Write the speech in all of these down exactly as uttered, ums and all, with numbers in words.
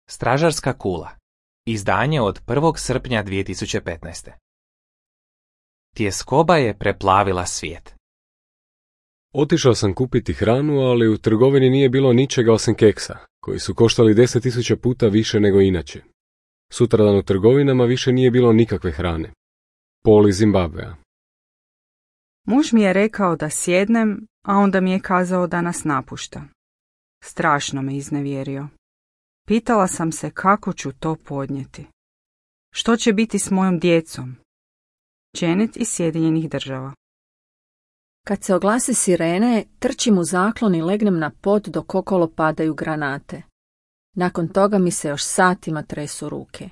Stražarska kula. Izdanje od prvog srpnja dvije tisuće petnaeste. Tjeskoba je preplavila svijet. Otišao sam kupiti hranu, ali u trgovini nije bilo ničega osim keksa, koji su koštali deset tisuća puta više nego inače. Sutradan u trgovinama više nije bilo nikakve hrane. Paul iz Zimbabvea. Muž mi je rekao da sjednem, a onda mi je kazao da nas napušta. Strašno me iznevjerio. Pitala sam se kako ću to podnijeti. Što će biti s mojom djecom? Janet iz Sjedinjenih Država. Kad se oglase sirene, trčim u zaklon i legnem na pod dok okolo padaju granate. Nakon toga mi se još satima tresu ruke.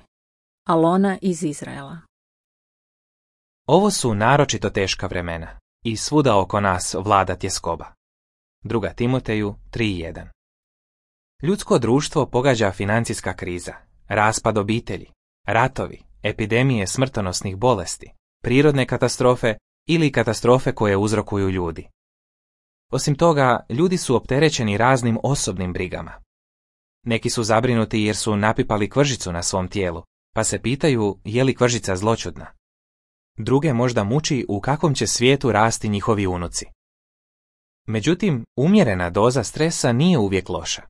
Alona iz Izraela. Ovo su naročito teška vremena i svuda oko nas vlada tjeskoba. Druga Timoteju tri jedan. Ljudsko društvo pogađa financijska kriza, raspad obitelji, ratovi, epidemije smrtonosnih bolesti, prirodne katastrofe ili katastrofe koje uzrokuju ljudi. Osim toga, ljudi su opterećeni raznim osobnim brigama. Neki su zabrinuti jer su napipali kvržicu na svom tijelu, pa se pitaju je li kvržica zloćudna. Druge možda muči u kakvom će svijetu rasti njihovi unuci. Međutim, umjerena doza stresa nije uvijek loša.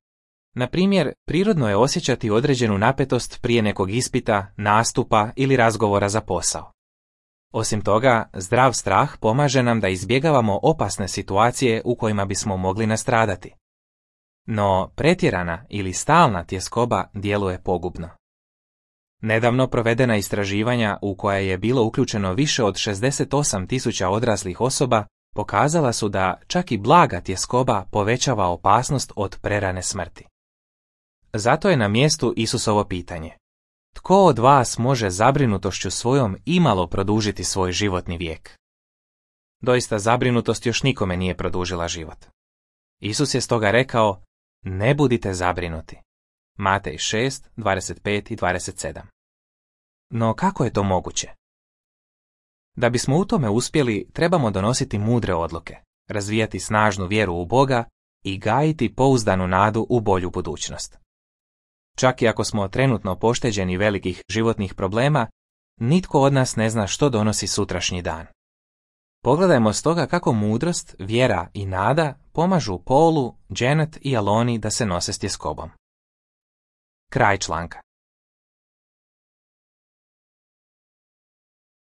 Na primjer, prirodno je osjećati određenu napetost prije nekog ispita, nastupa ili razgovora za posao. Osim toga, zdrav strah pomaže nam da izbjegavamo opasne situacije u kojima bismo mogli nastradati. No, pretjerana ili stalna tjeskoba djeluje pogubno. Nedavno provedena istraživanja u koja je bilo uključeno više od šezdeset osam tisuća odraslih osoba pokazala su da čak i blaga tjeskoba povećava opasnost od prerane smrti. Zato je na mjestu Isusovo pitanje. Tko od vas može zabrinutošću svojom imalo produžiti svoj životni vijek? Doista zabrinutost još nikome nije produžila život. Isus je stoga rekao, ne budite zabrinuti. Matej šest, dvadeset pet i dvadeset sedam. No kako je to moguće? Da bismo u tome uspjeli, trebamo donositi mudre odluke, razvijati snažnu vjeru u Boga i gajiti pouzdanu nadu u bolju budućnost. Čak i ako smo trenutno pošteđeni velikih životnih problema, nitko od nas ne zna što donosi sutrašnji dan. Pogledajmo stoga kako mudrost, vjera i nada pomažu Paulu, Janet i Aloni da se nose s tjeskobom. Kraj članka.